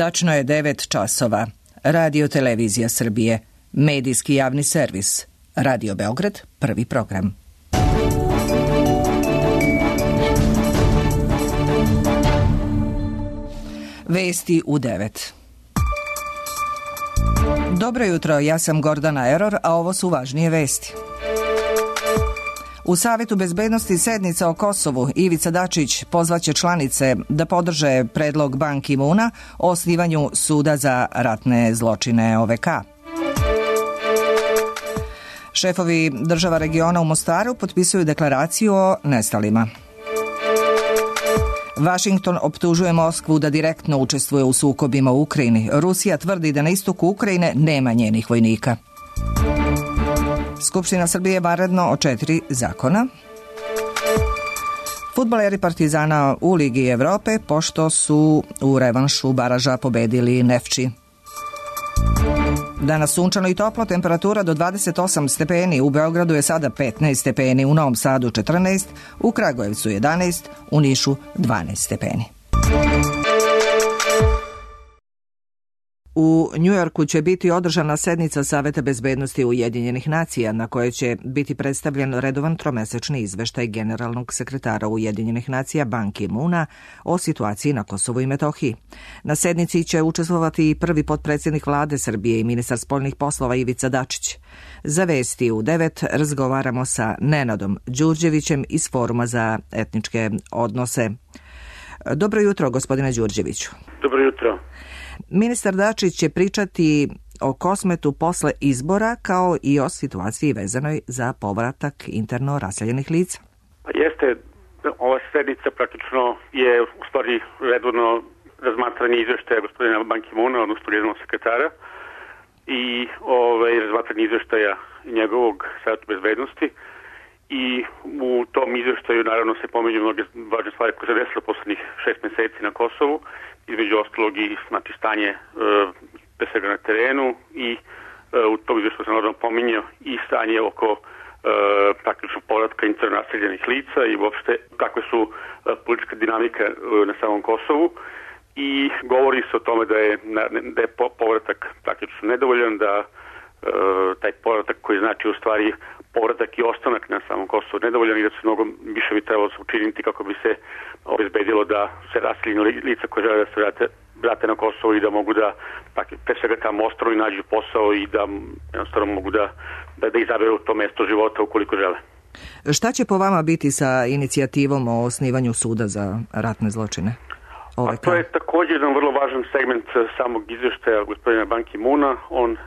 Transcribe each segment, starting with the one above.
Tačno je 9 časova. Radio Televizija Srbije. Medijski javni servis. Radio Beograd, prvi program. Vesti u 9. Dobro jutro, ja sam Gordana Eror, a ovo su važnije vesti. U Savetu bezbednosti sednica o Kosovu Ivica Dačić pozvaće članice da podrže predlog Ban Ki-moona o osnivanju suda za ratne zločine OVK. Šefovi država regiona u Mostaru potpisuju deklaraciju o nestalima. Vašington optužuje Moskvu da direktno učestvuje u sukobima u Ukrajini. Rusija tvrdi da na istoku Ukrajine nema njenih vojnika. Skupština Srbije vanredno o 4 zakona. Fudbaleri Partizana u Ligi Evrope pošto su u revanšu baraža pobedili Nefči. Danas sunčano i toplo, temperatura do 28 stepeni, u Beogradu je sada 15 stepeni, u Novom Sadu 14, u Kragujevcu 11, u Nišu 12 stepeni. U Njujorku će biti održana sednica Saveta bezbednosti Ujedinjenih nacija na kojoj će biti predstavljen redovan tromesečni izveštaj generalnog sekretara Ujedinjenih nacija Ban Ki-moona o situaciji na Kosovu i Metohiji. Na sednici će učestvovati i prvi potpredsjednik vlade Srbije i ministar spoljnih poslova Ivica Dačić. Za vesti u 9 razgovaramo sa Nenadom Đurđevićem iz Foruma za etničke odnose. Dobro jutro, gospodine Đurđeviću. Dobro jutro. Ministar Dačić će pričati o Kosmetu posle izbora kao i o situaciji vezanoj za povratak interno raseljenih lica. Jeste, ova sednica praktično je u stvari redovno razmatranje izveštaja gospodina Ban Ki-moona, odnosno generalnog sekretara, i razmatranje izveštaja njegovog Saveta bezbednosti. I u tom izveštaju naravno se pominju mnoge važne stvari koje se desilo poslednjih 6 meseci na Kosovu, između ostalog i stanje pre svega na terenu, i u tom izveštaju se naravno pominjao i stanje oko praktično povratka interno raseljenih lica i uopšte kakve su politička dinamika na samom Kosovu, i govori se o tome da je povratak praktično nedovoljan, da taj povratak koji znači u stvari povratak i ostanak na samom Kosovu nedovoljan i da se mnogo više bi trebalo učiniti kako bi se obezbedilo da se raseljena lica koje žele da se vrate na Kosovo i da mogu da pre svega tamo ostanu i nađu posao i da jednostavno mogu da izaberu to mesto života ukoliko žele. Šta će po vama biti sa inicijativom o osnivanju suda za ratne zločine? A to je također jedan vrlo važan segment samog izveštaja gospodina Ban Ki-moona. On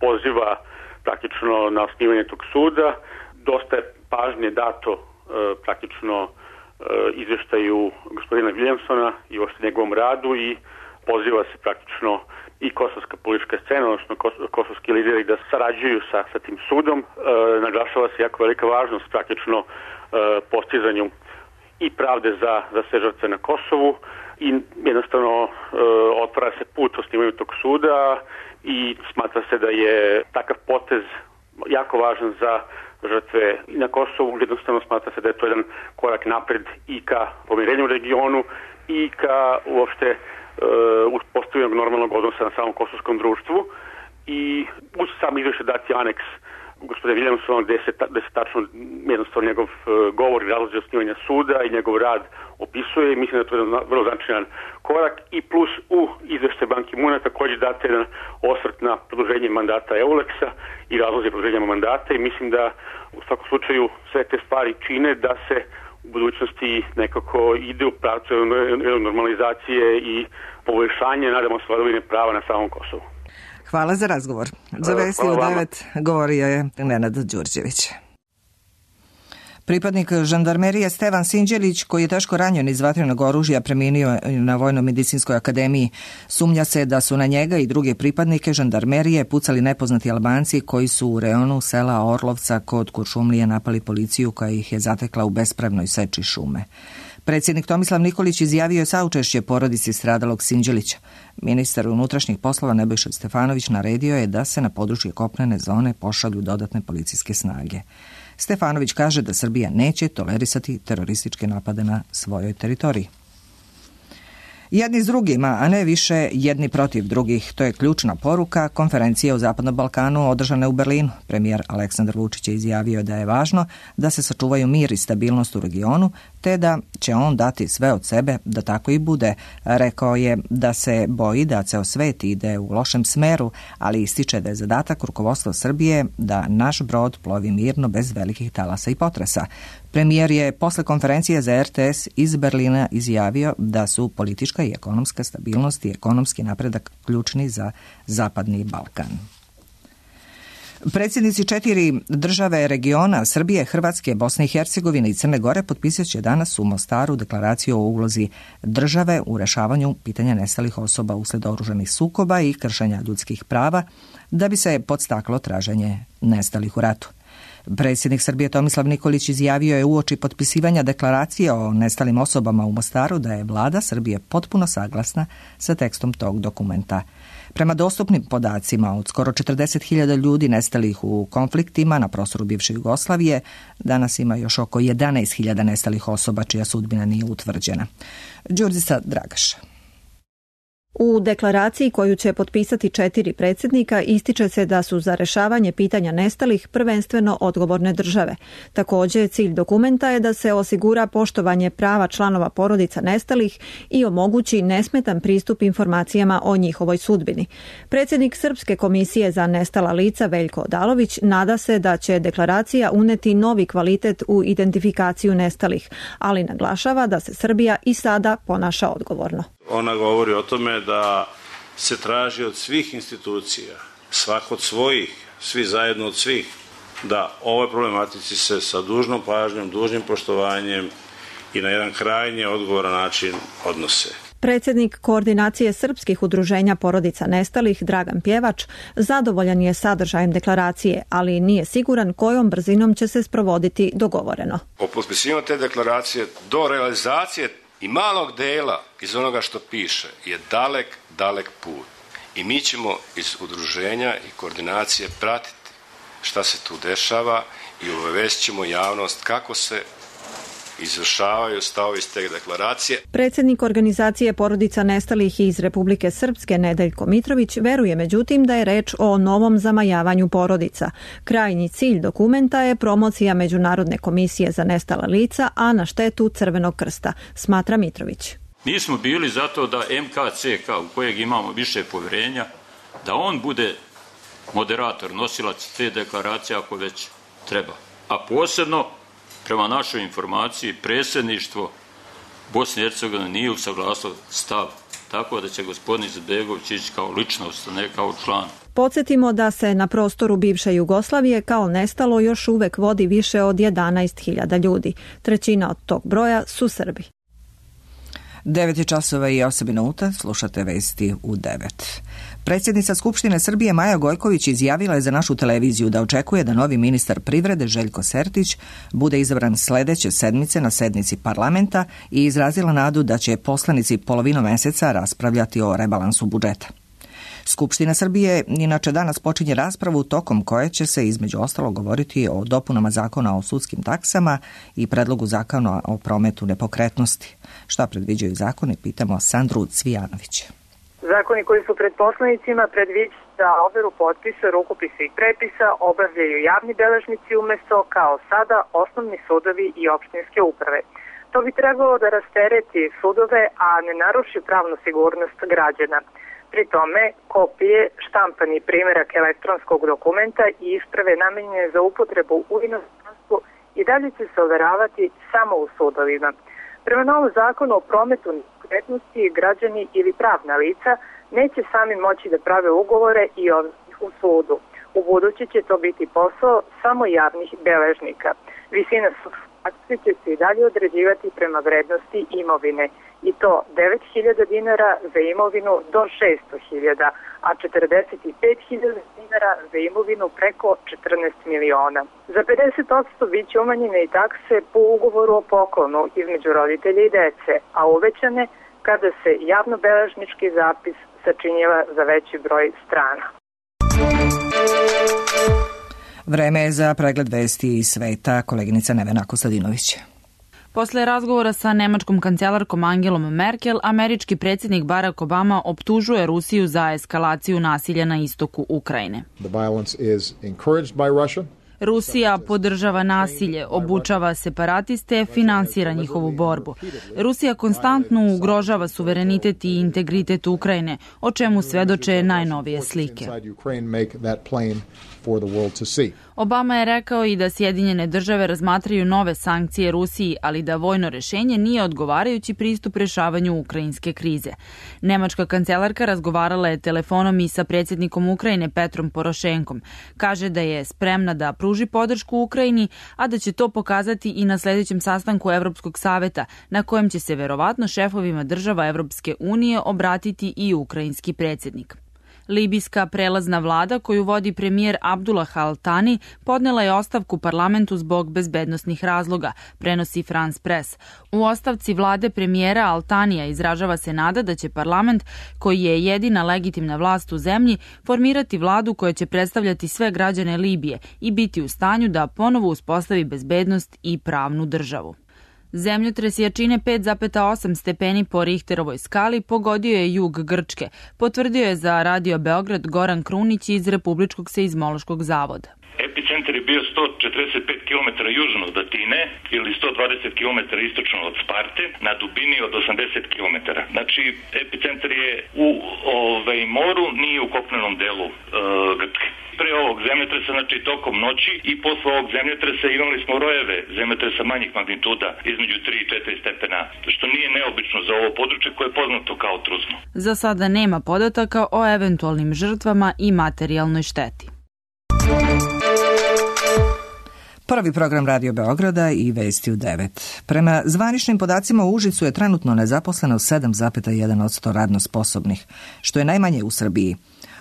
poziva praktično na osnivanje tog suda. Dosta je pažnje dato praktično izveštaju gospodina Williamsona i uopšte njegovom radu i poziva se praktično i kosovska politička scena, odnosno kosovski lideri da sarađuju sa tim sudom. Naglašava se jako velika važnost praktično postizanju i pravde za sve žrtve na Kosovu i jednostavno otvara se put osnivanju tog suda i smatra se da je takav potez jako važan za žrtve na Kosovu. Jednostavno smatra se da je to jedan korak napred i ka pomirenju u regionu i ka uopšte uspostavljanju normalnog odnosa na samom kosovskom društvu. I uz sam izveštaj dati aneks gospodina Williamsona gde se tačno jednostavno njegov govor i razlozi osnivanja suda i njegov rad opisuje i mislim da je to jedan vrlo značajan korak. I plus u izveštaju Ban Ki-moona također date jedan osvrt na produženje mandata EULEX-a i razlozi produženja mandata i mislim da u svakom slučaju sve te stvari čine da se u budućnosti nekako ide u pravcu normalizacije i poboljšanje, nadamo se, vladavine prava na samom Kosovu. Hvala za razgovor. Za vesti u 9 govorio je Nenad Đurđević. Pripadnik žandarmerije Stevan Sinđelić, koji je teško ranjen iz vatrenog oružja, preminio na Vojno-medicinskoj akademiji. Sumnja se da su na njega i druge pripadnike žandarmerije pucali nepoznati Albanci koji su u reonu sela Orlovca kod Kuršumlije napali policiju koja ih je zatekla u bespravnoj seči šume. Predsjednik Tomislav Nikolić izjavio je saučešće porodici stradalog Sinđelića. Ministar unutrašnjih poslova Nebojša Stefanović naredio je da se na područje kopnene zone pošalju dodatne policijske snage. Stefanović kaže da Srbija neće tolerisati terorističke napade na svojoj teritoriji. Jedni s drugima, a ne više jedni protiv drugih. To je ključna poruka konferencije o Zapadnom Balkanu održane u Berlinu. Premijer Aleksandar Vučić je izjavio da je važno da se sačuvaju mir i stabilnost u regionu, te da će on dati sve od sebe da tako i bude. Rekao je da se boji da ceo svet ide u lošem smeru, ali ističe da je zadatak rukovodstva Srbije da naš brod plovi mirno bez velikih talasa i potresa. Premijer je posle konferencije za RTS iz Berlina izjavio da su politička i ekonomska stabilnost i ekonomski napredak ključni za Zapadni Balkan. Predsjednici 4 države regiona Srbije, Hrvatske, Bosne i Hercegovine i Crne Gore potpisat će danas u Mostaru deklaraciju o ulozi države u rešavanju pitanja nestalih osoba usled oružanih sukoba i kršenja ljudskih prava da bi se podstaklo traženje nestalih u ratu. Predsjednik Srbije Tomislav Nikolić izjavio je uoči potpisivanja deklaracije o nestalim osobama u Mostaru da je vlada Srbije potpuno saglasna sa tekstom tog dokumenta. Prema dostupnim podacima, od skoro 40.000 ljudi nestalih u konfliktima na prostoru bivše Jugoslavije, danas ima još oko 11.000 nestalih osoba čija sudbina nije utvrđena. Đurđica Dragaš. U deklaraciji koju će potpisati 4 predsjednika ističe se da su za rešavanje pitanja nestalih prvenstveno odgovorne države. Također, cilj dokumenta je da se osigura poštovanje prava članova porodica nestalih i omogući nesmetan pristup informacijama o njihovoj sudbini. Predsjednik Srpske komisije za nestala lica Veljko Odalović nada se da će deklaracija uneti novi kvalitet u identifikaciju nestalih, ali naglašava da se Srbija i sada ponaša odgovorno. Ona govori o tome da se traži od svih institucija, svako od svojih, svi zajedno od svih, da ovoj problematici se sa dužnom pažnjom, dužnim poštovanjem i na jedan krajnje odgovoran način odnose. Predsjednik koordinacije srpskih udruženja porodica nestalih, Dragan Pjevač, zadovoljan je sadržajem deklaracije, ali nije siguran kojom brzinom će se sprovoditi dogovoreno. O potpisivanju te deklaracije do realizacije i malog dela iz onoga što piše je dalek put. I mi ćemo iz udruženja i koordinacije pratiti šta se tu dešava i obavestit ćemo javnost kako se izvršavaju stavovi iz te deklaracije. Predsjednik organizacije porodica nestalih iz Republike Srpske Nedeljko Mitrović veruje međutim da je reč o novom zamajavanju porodica. Krajnji cilj dokumenta je promocija Međunarodne komisije za nestala lica, a na štetu Crvenog krsta, smatra Mitrović. Mi smo bili zato da MKCK, u kojeg imamo više povjerenja, da on bude moderator, nosilac te deklaracije ako već treba. A posebno, prema našoj informaciji, predsjedništvo Bosne i Hercegovine nije usaglasilo stav, tako da će gospodin Izetbegović ići kao ličnost, ne kao član. Podsjetimo da se na prostoru bivše Jugoslavije kao nestalo još uvek vodi više od 11.000 ljudi. Trećina od tog broja su Srbi. 9:08, slušate vesti u 9. Predsjednica Skupštine Srbije Maja Gojković izjavila je za našu televiziju da očekuje da novi ministar privrede Željko Sertić bude izabran sledeće sedmice na sednici parlamenta i izrazila nadu da će poslanici polovinom meseca raspravljati o rebalansu budžeta. Skupština Srbije inače danas počinje raspravu tokom koje će se između ostalog govoriti o dopunama zakona o sudskim taksama i predlogu zakona o prometu nepokretnosti. Šta predviđaju zakoni, pitamo Sandru Cvijanović. Zakoni koji su pred poslanicima predviđaju da overu potpisa, rukopisa i prepisa obavljaju javni beležnici umjesto kao sada osnovni sudovi i opštinske uprave. To bi trebalo da rastereti sudove, a ne naruši pravnu sigurnost građana. Pri tome, kopije, štampani primjerak elektronskog dokumenta i isprave namenjene za upotrebu u inostranstvu i dalje će se overavati samo u sudovima. Prema novom zakonu o prometu nepokretnosti, građani ili pravna lica neće sami moći da prave ugovore i ovih u sudu. U budući će to biti posao samo javnih beležnika. Visina sudske će se i dalje određivati prema vrednosti imovine i to 9.000 dinara za imovinu do 600.000, a 45.000 dinara za imovinu preko 14 miliona. Za 50% bit će umanjene i takse po ugovoru o poklonu između roditelja i dece, a uvećane kada se javnobeležnički zapis sačinjava za veći broj strana. Vreme je za pregled vesti iz sveta, koleginica Nevena Kostadinović. Posle razgovora sa nemačkom kancelarkom Angelom Merkel, američki predsjednik Barack Obama optužuje Rusiju za eskalaciju nasilja na istoku Ukrajine. Rusija podržava nasilje, obučava separatiste, finansira njihovu borbu. Rusija konstantno ugrožava suverenitet i integritet Ukrajine, o čemu svedoče najnovije slike. Obama je rekao i da Sjedinjene države razmatraju nove sankcije Rusiji, ali da vojno rešenje nije odgovarajući pristup rešavanju ukrajinske krize. Nemačka kancelarka razgovarala je telefonom i sa predsjednikom Ukrajine Petrom Porošenkom. Kaže da je spremna da pruži podršku Ukrajini, a da će to pokazati i na sljedećem sastanku Evropskog saveta, na kojem će se verovatno šefovima država Evropske unije obratiti i ukrajinski predsjednik. Libijska prelazna vlada koju vodi premijer Abdullah Al-Thani podnela je ostavku parlamentu zbog bezbednosnih razloga, prenosi France Press. U ostavci vlade premijera Al-Thanija izražava se nada da će parlament, koji je jedina legitimna vlast u zemlji, formirati vladu koja će predstavljati sve građane Libije i biti u stanju da ponovo uspostavi bezbednost i pravnu državu. Zemljotres jačine 5,8 stepeni po Richterovoj skali pogodio je jug Grčke, potvrdio je za Radio Beograd Goran Krunić iz Republičkog seizmološkog zavoda. Epicentar je bio 145 km južno od Atine ili 120 km istočno od Sparte na dubini od 80 km. Znači, epicentar je u moru, nije u kopnenom delu Grčke. Pre ovog zemljotresa, znači tokom noći i posle ovog zemljotresa imali smo rojeve zemljotresa manjih magnituda između 3 i 4 stepena, što nije neobično za ovo područje koje je poznato kao trusno. Za sada nema podataka o eventualnim žrtvama i materijalnoj šteti. Prvi program Radio Beograda i Vesti u 9. Prema zvaničnim podacima u Užicu je trenutno nezaposleno 7,1% radno sposobnih, što je najmanje u Srbiji.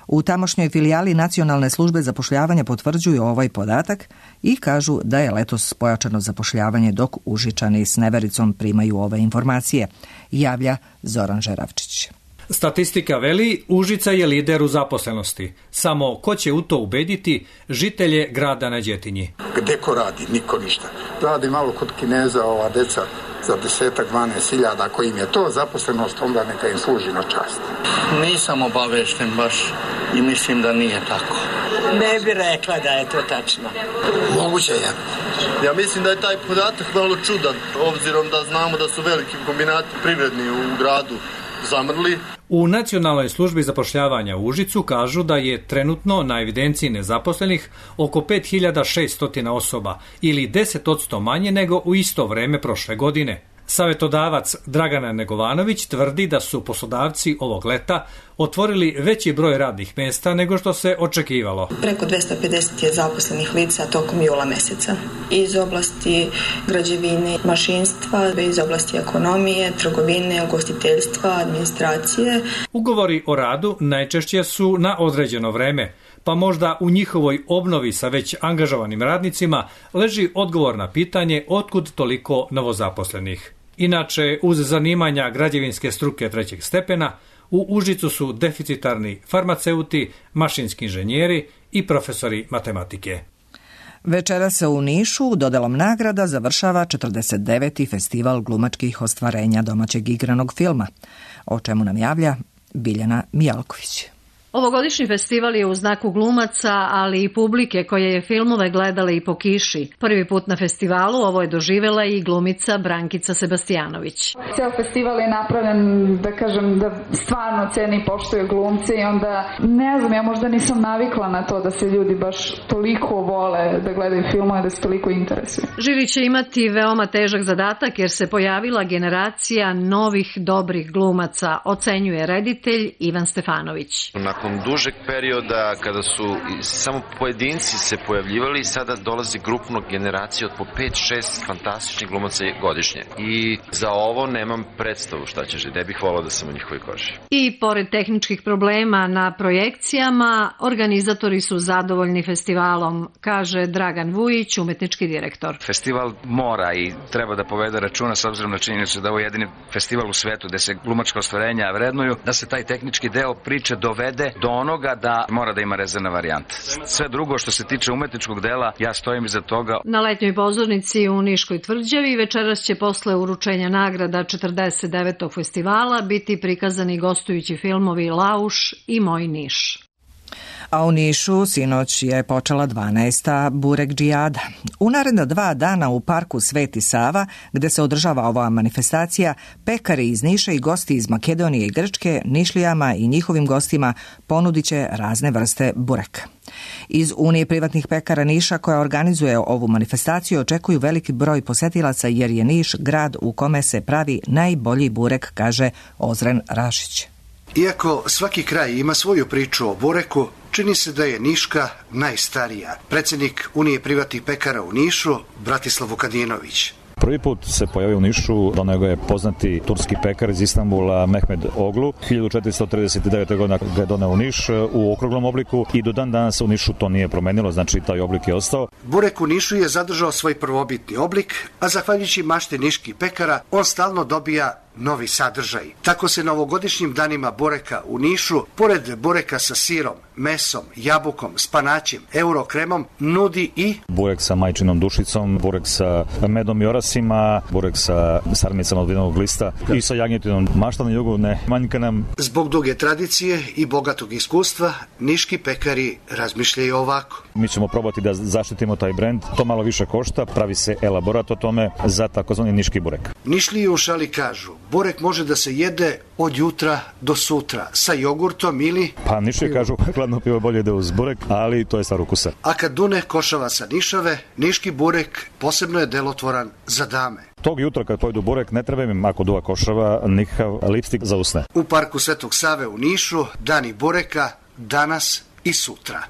U tamošnjoj filijali Nacionalne službe zapošljavanja potvrđuju ovaj podatak i kažu da je letos pojačano zapošljavanje, dok Užičani s nevericom primaju ove informacije, javlja Zoran Žeravčić. Statistika veli, Užica je lider u zaposlenosti. Samo ko će u to ubediti žitelje grada na Đetinji? Gde ko radi? Niko ništa. Radi malo kod Kineza ova deca za 10-12 hiljada. Ako im je to zaposlenost, onda neka im služi na čast. Nisam obavešten baš i mislim da nije tako. Ne bi rekla da je to tačno. Moguće je. Ja mislim da je taj podatak malo čudan, obzirom da znamo da su veliki kombinati privredni u gradu zamrli. U Nacionalnoj službi zapošljavanja u Užicu kažu da je trenutno na evidenciji nezaposlenih oko 5600 osoba ili 10% manje nego u isto vreme prošle godine. Savetodavac Dragana Negovanović tvrdi da su poslodavci ovog leta otvorili veći broj radnih mjesta nego što se očekivalo. Preko 250 je zaposlenih lica tokom jula meseca. Iz oblasti građevine, mašinstva, iz oblasti ekonomije, trgovine, ugostiteljstva, administracije. Ugovori o radu najčešće su na određeno vreme, pa možda u njihovoj obnovi sa već angažovanim radnicima leži odgovor na pitanje otkud toliko novozaposlenih. Inače, uz zanimanja građevinske struke trećeg stepena, u Užicu su deficitarni farmaceuti, mašinski inženjeri i profesori matematike. Večera se u Nišu dodelom nagrada završava 49. festival glumačkih ostvarenja domaćeg igranog filma, o čemu nam javlja Biljana Mijalković. Ovogodišnji festival je u znaku glumaca, ali i publike koja je filmove gledala i po kiši. Prvi put na festivalu ovo je doživjela i glumica Brankica Sebastijanović. Ceo festival je napravljen, da kažem, da stvarno ceni i poštuju glumce i onda, ne znam, ja možda nisam navikla na to da se ljudi baš toliko vole da gledaju filmove, da se toliko interesuju. Žiri će imati veoma težak zadatak jer se pojavila generacija novih dobrih glumaca, ocenjuje reditelj Ivan Stefanović. Nakon dužeg perioda kada su samo pojedinci se pojavljivali, sada dolazi grupno generacija od po 5-6 fantastičnih glumaca godišnje. I za ovo nemam predstavu šta će žiti. Ne bih volao da sam u njihovoj koži. I pored tehničkih problema na projekcijama, organizatori su zadovoljni festivalom, kaže Dragan Vujić, umetnički direktor. Festival mora i treba da povede računa s obzirom na činjenicu da ovo je jedini festival u svetu gde se glumačka ostvarenja vrednuju, da se taj tehnički deo priče dovede dođe do onoga da mora da ima rezervna varijanta. Sve drugo što se tiče umetničkog dela, ja stojim iza toga. Na letnjoj pozornici u Niškoj tvrđavi večeras će posle uručenja nagrada 49. festivala biti prikazani gostujući filmovi Lauš i Moj Niš. A u Nišu sinoć je počela 12. Burek džijada. U naredna 2 dana u parku Sveti Sava, gde se održava ova manifestacija, pekari iz Niša i gosti iz Makedonije i Grčke, Nišlijama i njihovim gostima ponudit će razne vrste bureka. Iz Unije privatnih pekara Niša, koja organizuje ovu manifestaciju, očekuju veliki broj posetilaca jer je Niš grad u kome se pravi najbolji burek, kaže Ozren Rašić. Iako svaki kraj ima svoju priču o bureku, čini se da je Niška najstarija. Predsjednik Unije privatnih pekara u Nišu, Bratislav Vukadinović. Prvi put se pojavio u Nišu, doneo ga je poznati turski pekar iz Istanbula Mehmed Oglu. 1439. godina ga je doneo u Niš u okruglom obliku i do dan danas u Nišu to nije promenilo, znači taj oblik je ostao. Burek u Nišu je zadržao svoj prvobitni oblik, a zahvaljujući mašti niških pekara, on stalno dobija novi sadržaj. Tako se na ovogodišnjim danima bureka u Nišu, pored bureka sa sirom, mesom, jabukom, spanaćem, eurokremom, nudi i burek sa majčinom dušicom, burek sa medom i orasima, burek sa sarmicama od vinovog lista i sa jagnjetinom. Mašta na jugu ne manjka nam. Zbog duge tradicije i bogatog iskustva, niški pekari razmišljaju ovako. Mi ćemo probati da zaštitimo taj brend. To malo više košta, pravi se elaborat o tome za takozvani niški burek. Nišlije u šali kažu, burek može da se jede od jutra do sutra sa jogurtom ili... Pa Nišlije kažu, hladno pivo bolje ide uz burek, ali to je stvar ukusa. A kad dune košava sa Nišave, niški burek posebno je delotvoran za dame. Tog jutra kad pojedu burek ne treba im, ako duva košava, nikakav lipstik za usne. U parku Svetog Save u Nišu, dani bureka danas i sutra.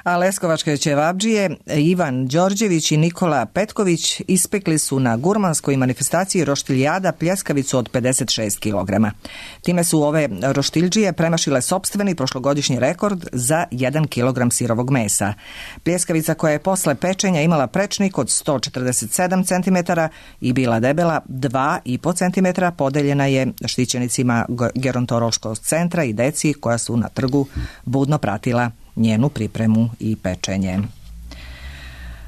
A leskovačke ćevabdžije Ivan Đorđević i Nikola Petković ispekli su na gurmanskoj manifestaciji roštiljada pljeskavicu od 56 kg. Time su ove roštiljđije premašile sopstveni prošlogodišnji rekord za 1 kg sirovog mesa. Pljeskavica, koja je posle pečenja imala prečnik od 147 cm i bila debela 2,5 cm, podeljena je štićenicima gerontološkog centra i deci koja su na trgu budno pratila njenu pripremu i pečenje.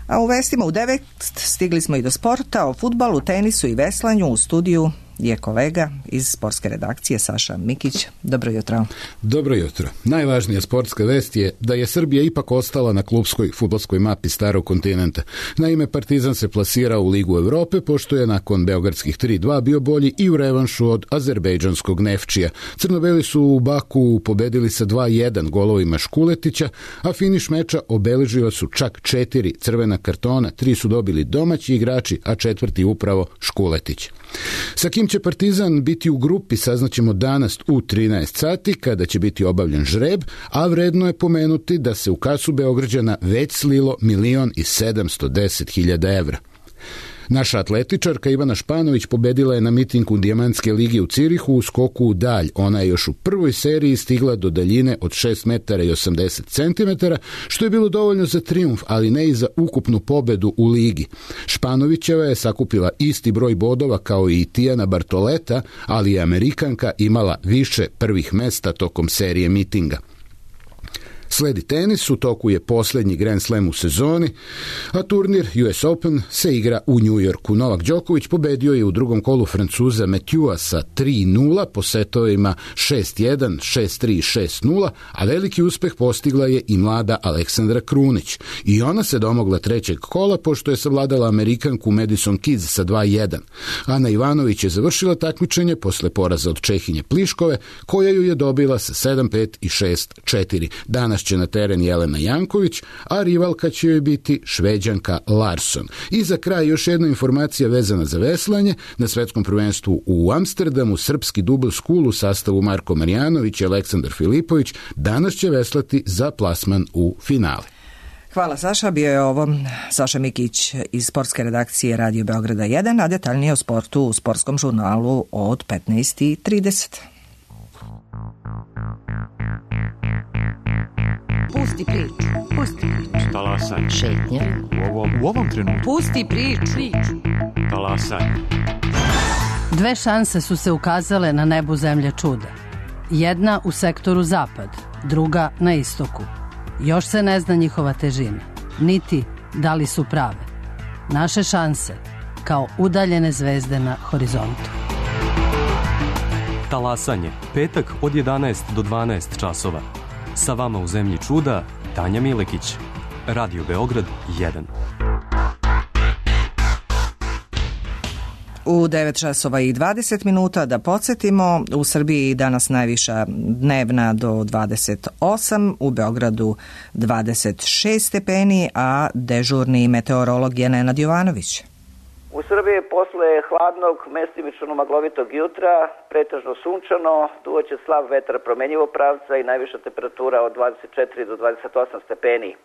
A u vestima u 9 stigli smo i do sporta, o fudbalu, tenisu i veslanju. U studiju je kolega iz sportske redakcije Saša Mikić. Dobro jutro. Dobro jutro. Najvažnija sportska vest je da je Srbija ipak ostala na klupskoj fudbalskoj mapi starog kontinenta. Naime, Partizan se plasirao u Ligu Evrope, pošto je nakon beogradskih 3-2 bio bolji i u revanšu od azerbejdžanskog Nefčija. Crnobeli su u Baku pobedili sa 2-1 golovima Škuletića, a finiš meča obeležila su čak 4 crvena kartona, 3 su dobili domaći igrači, a 4. upravo Škuletić. Sa kim će Partizan biti u grupi saznaćemo danas u 13 sati kada će biti obavljen žreb, a vredno je pomenuti da se u kasu Beograđana već slilo 1.710.000 evra. Naša atletičarka Ivana Španović pobedila je na mitingu Dijamantske lige u Cirihu u skoku u dalj. Ona je još u prvoj seriji stigla do daljine od 6 metara i 80 centimetara, što je bilo dovoljno za trijumf, ali ne i za ukupnu pobedu u ligi. Španovićeva je sakupila isti broj bodova kao i Tijana Bartoleta, ali je Amerikanka imala više prvih mesta tokom serije mitinga. Sledi tenis, u toku je posljednji Grand Slam u sezoni, a turnir US Open se igra u New Yorku. Novak Đoković pobedio je u drugom kolu Francuza Mathieu sa 3-0 po setovima 6-1, 6-3, 6-0, a veliki uspeh postigla je i mlada Aleksandra Krunić. I ona se domogla trećeg kola pošto je savladala Amerikanku Madison Keys sa 2-1. Ana Ivanović je završila takmičenje posle poraza od Čehinje Pliškove, koja ju je dobila sa 7-5 i 6-4. Danas će na teren Jelena Janković, a rivalka će joj biti Šveđanka Larsson. I za kraj još jedna informacija vezana za veslanje. Na svetskom prvenstvu u Amsterdamu srpski double school u sastavu Marko Marjanović i Aleksandar Filipović danas će veslati za plasman u finale. Hvala Saša, bio je ovo Saša Mikić iz sportske redakcije Radio Beograda 1, a detaljnije o sportu u sportskom žurnalu od 15:30. Pusti priču. Talasaj. Šetnja. U ovom trenutku. Pusti priču. Talasaj. 2 šanse su se ukazale na nebu zemlje čuda. Jedna u sektoru zapad, druga na istoku. Još se ne zna njihova težina, niti da li su prave. Naše šanse kao udaljene zvezde na horizontu. Talasanje, petak od 11 do 12 časova. Sa vama u Zemlji čuda, Tanja Milekić. Radio Beograd 1. U 9 časova i 20 minuta da podsjetimo, u Srbiji danas najviša dnevna do 28, u Beogradu 26 stepeni, a dežurni meteorolog je Nenad Jovanović. U Srbiji posle hladnog, mestimično maglovitog jutra, pretežno sunčano, duvaće slab vetar promenjivog pravca i najviša temperatura od 24 do 28 stepeni.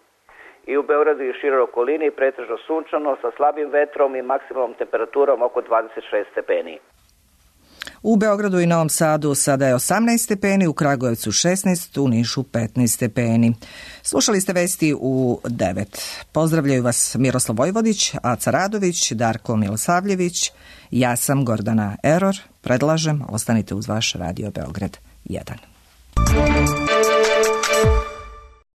I u Beogradu i široj okolini pretežno sunčano sa slabim vetrom i maksimalnom temperaturom oko 26 stepeni. U Beogradu i Novom Sadu sada je 18 stepeni, u Kragujevcu 16, u Nišu 15 stepeni. Slušali ste vesti u 9. Pozdravljaju vas Miroslav Vojvodić, Aca Radović, Darko Milosavljević. Ja sam Gordana Eror. Predlažem, ostanite uz vaš Radio Beograd 1.